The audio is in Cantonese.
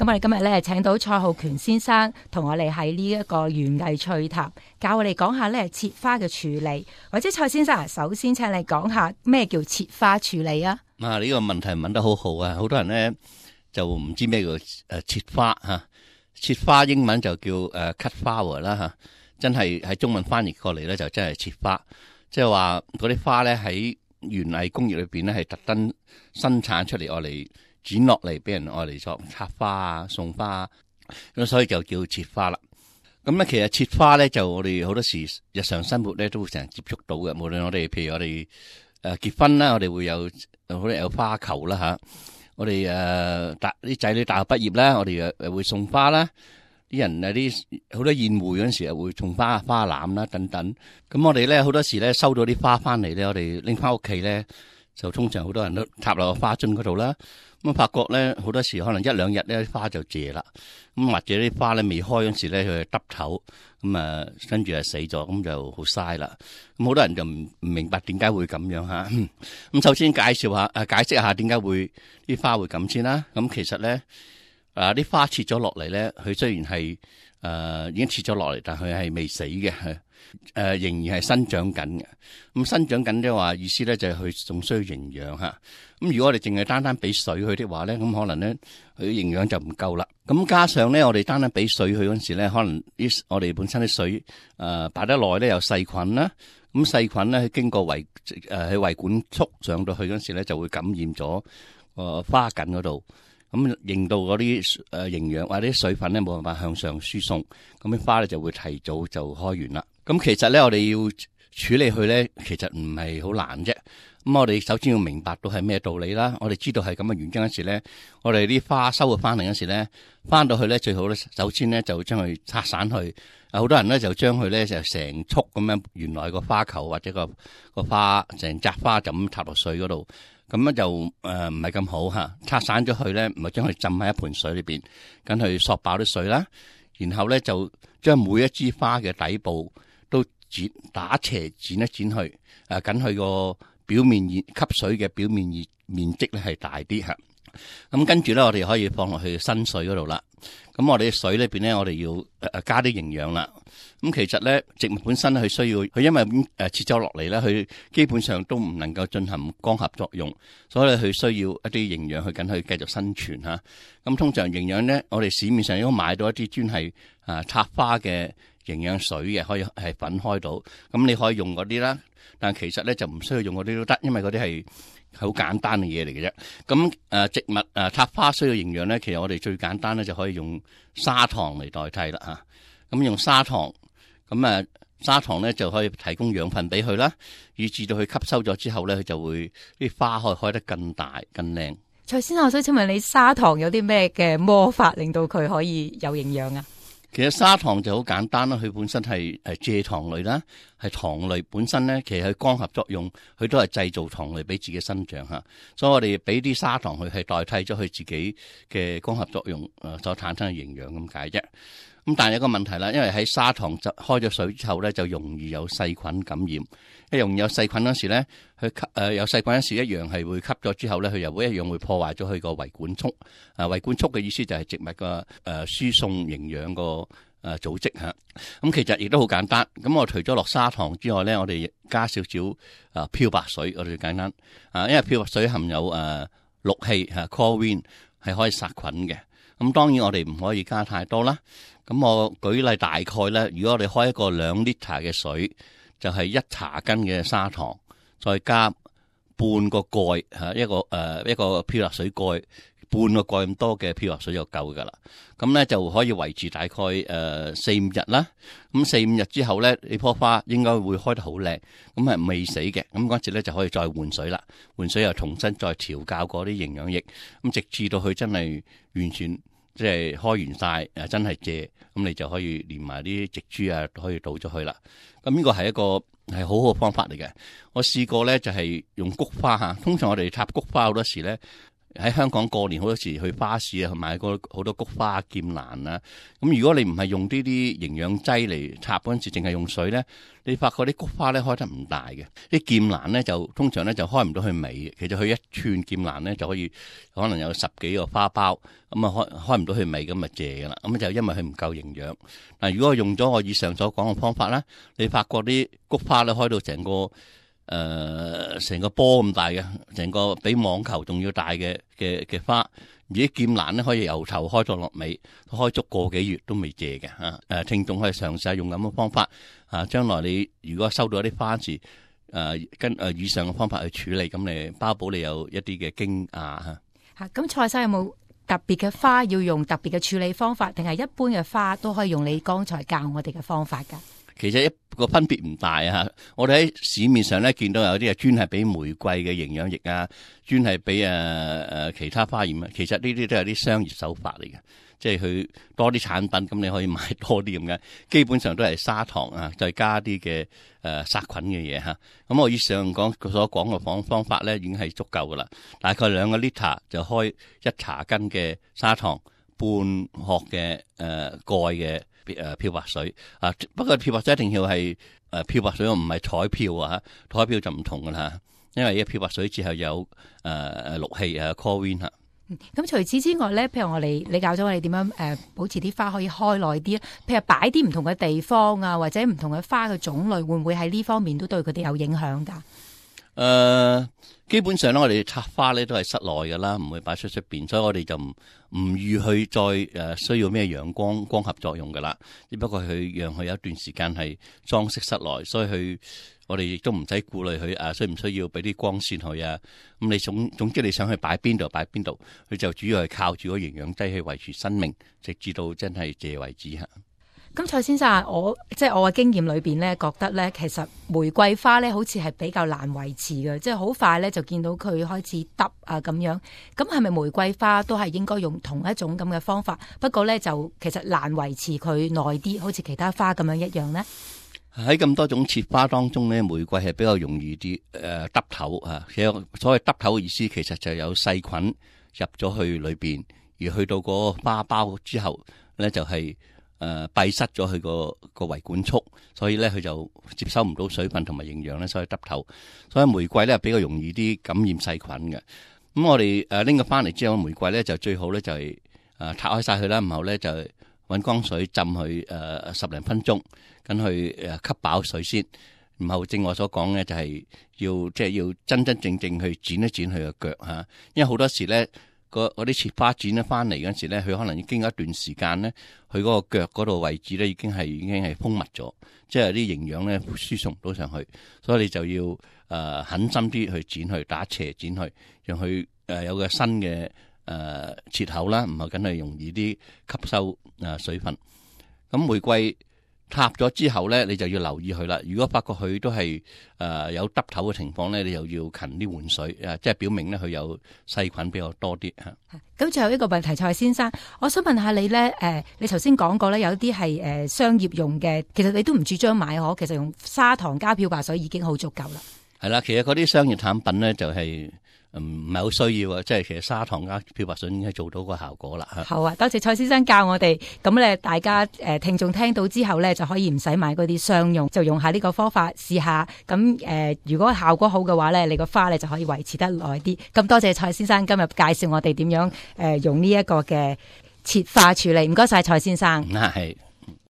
咁我哋今日咧請到蔡浩權先生同我哋喺呢一個園藝趣談，教我哋講下咧切花嘅處理。或者蔡先生首先請你講下咩叫切花處理啊？呢個問題問得好好啊！好多人咧就唔知咩叫切花吓，切花英文就叫cut flower 啦吓，真係喺中文翻譯過嚟咧就真係切花，即係話嗰啲花咧喺園藝工業裏邊咧係特登生產出嚟，愛嚟剪落嚟俾人愛嚟作插花啊、送花啊，咁所以就叫切花啦。咁咧其實切花咧就我哋好多時日常生活咧都會成日接觸到嘅，無論我哋譬如我哋結婚啦，我哋會有好多有花球啦吓，我哋啲仔女大學畢業啦，我哋又會送花啦，啲人啲好多宴會嗰陣時又會送花籃啦等等。咁我哋咧好多時咧收到啲花翻嚟咧，我哋拎翻屋企咧就通常好多人都插落個花樽嗰度啦。咁發覺咧好多時可能一兩日咧花就謝啦，咁或者啲花咧未開嗰時咧佢就耷頭，咁跟住就死咗，咁就好嘥啦。咁好多人就唔明白點解會咁樣吓。咁首先解釋下點解會啲花會咁先啦。咁其實咧啲花切咗落嚟咧，佢雖然係已經切咗落嚟，但佢係未死嘅，仍然係生長緊嘅。咁生長緊嘅話，意思咧就係佢仲需要營養吓。咁如果我哋淨係單單俾水佢的話咧，咁可能咧佢營養就唔夠啦。咁加上咧，我哋單單俾水佢嗰陣時咧，可能我哋本身啲水擺得耐咧有細菌啦。咁細菌咧經過喺胃管束上到去嗰陣時咧，就會感染咗花梗嗰度。咁令到嗰啲營養或者啲水分咧冇辦法向上輸送，咁啲花咧就會提早就開完啦。咁其實咧我哋要處理佢咧，其實唔係好難啫。咁我哋首先要明白到係咩道理啦。我哋知道係咁嘅原因嗰時咧，我哋啲花收咗翻嚟嗰時咧，翻到去咧最好咧，首先咧就將佢拆散去。好多人咧就將佢咧就成束咁樣，原來個花球或者個花成扎花就咁插落水嗰度。咁樣就唔係咁好吓，拆散咗佢咧，唔係將佢浸喺一盆水裏邊，咁去索爆啲水啦，然後咧就將每一支花嘅底部都打斜剪一剪去，緊佢個表面吸水嘅表面面積咧係大啲吓。咁跟住咧，我哋可以放落去新水嗰度啦。咁我哋水裏邊咧，我哋要加啲營養啦。咁其實咧，植物本身佢需要佢，因為切咗落嚟咧，佢基本上都唔能夠進行光合作用，所以佢需要一啲營養去緊去繼續生存吓。咁通常營養咧，我哋市面上都買到一啲專係插花嘅營養水嘅，可以係粉開到。咁你可以用嗰啲啦，但其實咧就唔需要用嗰啲都得，因為嗰啲係好簡單嘅嘢嚟嘅啫。咁植物插花需要營養咧，其實我哋最簡單咧就可以用砂糖嚟代替啦吓。咁用砂糖，咁砂糖咧就可以提供養分俾佢啦，以至到佢吸收咗之後咧，佢就會啲花可以開得更大更靚。蔡先生，我想請問你砂糖有啲咩嘅魔法令到佢可以有營養啊？其實砂糖就好簡單啦，佢本身係蔗糖類啦，係糖類本身咧，其實佢光合作用，佢都係製造糖類俾自己生長吓，所以我哋俾啲砂糖佢係代替咗佢自己嘅光合作用所產生嘅營養咁解啫。咁但係有個問題啦，因為喺砂糖就開咗水之後咧，就容易有細菌感染。一容易有細菌嗰時咧，佢有細菌嗰時一樣係會吸咗之後咧，佢又會一樣會破壞咗佢個維管束。維管束嘅意思就係植物個輸送營養個組織吓。咁其實亦都好簡單。咁我除咗落砂糖之外咧，我哋加少少漂白水，我哋最簡單。因為漂白水含有氯氣chlorine 係可以殺菌嘅。咁當然我哋唔可以加太多啦。咁我舉例大概咧，如果我哋開一個2 liter 嘅水，就係1茶羹嘅砂糖，再加半個蓋一個漂白水蓋，半個蓋咁多嘅漂白水就夠噶啦。咁咧就可以維持大概4-5日啦。咁4-5日之後咧，呢棵花應該會開得好靚，咁係未死嘅。咁嗰陣時咧就可以再換水啦，換水又重新再調教過啲營養液，咁直至到佢真係完全即係開完晒，真係謝，咁你就可以連埋啲植株可以倒咗去啦。咁呢個係一個係好好嘅方法嚟嘅。我試過咧就係用菊花吓，通常我哋插菊花好多時咧，喺香港過年好多時去花市啊，去買好多菊花、劍蘭啊。咁如果你唔係用呢啲營養劑嚟插嗰陣時，淨係用水咧，你發覺啲菊花咧開得唔大嘅，啲劍蘭咧就通常咧就開唔到去尾。其實佢一串劍蘭咧就可能有10幾個花苞，咁啊開唔到去尾，咁咪謝噶啦。咁就因為佢唔夠營養。嗱，如果用咗我以上所講嘅方法咧，你發覺啲菊花咧開到成個波咁大嘅，成個比網球仲要大嘅花，而啲劍蘭咧可以由頭開到落尾，開足個幾月都未謝嘅嚇。聽眾可以嘗試下用咁嘅方法嚇，將來你如果收到一啲花時，跟以上嘅方法去處理，咁你包保你有一啲嘅驚訝嚇。嚇，咁蔡生有冇特別嘅花要用特別嘅處理方法，定係一般嘅花都可以用你剛才教我哋嘅方法㗎？其實一個分別唔大啊！我哋喺市面上咧見到有啲係專係俾玫瑰嘅營養液啊，專係俾其他花鹽啊。其實呢啲都係啲商業手法嚟嘅，即係佢多啲產品，咁你可以買多啲咁嘅。基本上都係砂糖啊，再加啲嘅殺菌嘅嘢嚇。咁我以上所講嘅方法咧，已經係足夠噶啦。大概2個 liter 就開1茶羹嘅砂糖，半殼嘅蓋嘅漂白水啊。不過漂白水一定要係漂白水，唔係彩漂啊。彩漂就唔同噶啦，因為漂白水之後有氯氣chlorine 嚇。咁除此之外咧，譬如你教咗我哋點樣保持啲花可以開耐啲，譬如擺啲唔同嘅地方啊，或者唔同嘅花嘅種類，會唔會喺呢方面都對佢哋有影響㗎？基本上咧，我哋插花咧都係室內噶啦，唔會擺出邊，所以我哋就唔預去再需要咩陽光合作用噶啦。只不過佢讓佢有一段時間係裝飾室內，所以我哋亦都唔使顧慮佢需唔需要俾啲光線佢啊。咁你總之你想去擺邊度擺邊度，佢就主要係靠住個營養劑去維持生命，直至到真係謝為止嚇。咁蔡先生，我嘅經驗裏邊咧，覺得咧，其實玫瑰花咧，好似係比較難維持嘅，即係好快咧就見到佢開始耷啊咁樣。咁係咪玫瑰花都係應該用同一種咁嘅方法？不過咧就其實難維持佢耐啲，好似其他花咁樣一樣呢？喺咁多種切花當中咧，玫瑰係比較容易啲耷頭啊。其實所謂耷頭嘅意思，其實就有細菌入咗去裏邊，而去到嗰個花苞之後咧，就係閉塞咗佢個維管束，所以咧佢就接收唔到水分同埋營養咧，所以耷頭。所以玫瑰咧比較容易啲感染細菌嘅。咁我哋拎佢翻嚟之後，玫瑰咧就最好咧就係拆開晒佢啦，然後咧就搵乾水浸佢10零分鐘，咁去吸飽水先。然後正我所講咧就係要真真正正去剪一剪佢個腳嚇，因為好多時咧。嗰啲切花剪咗翻嚟嗰陣時咧，佢可能已經有一段時間咧，佢嗰個腳嗰度位置咧已經係封密咗，即係啲營養咧輸送唔到上去，所以你就要狠心啲去剪去打斜剪去，讓佢有個新嘅切口啦，唔係梗係容易啲吸收水分。咁玫瑰插咗之後咧，你就要留意佢啦。如果發覺佢都係有耷頭嘅情況咧，你又要勤啲換水，即係表明咧佢有細菌比較多啲嚇。咁最後一個問題，蔡先生，我想問下你咧，你頭先講過咧，有啲係商業用嘅，其實你都唔主張買可，其實用砂糖加漂白水已經好足夠啦。係啦，其實嗰啲商業產品咧就係唔係好需要啊，即係其實砂糖加漂白水已經係做到個效果啦。好啊，多謝蔡先生教我哋，咁咧大家聽眾聽到之後咧就可以唔使買嗰啲商用，就用下呢個方法試下。咁如果效果好嘅話咧，你個花咧就可以維持得耐啲。咁多謝蔡先生今日介紹我哋點樣用呢一個嘅切花處理。唔該晒蔡先生。係。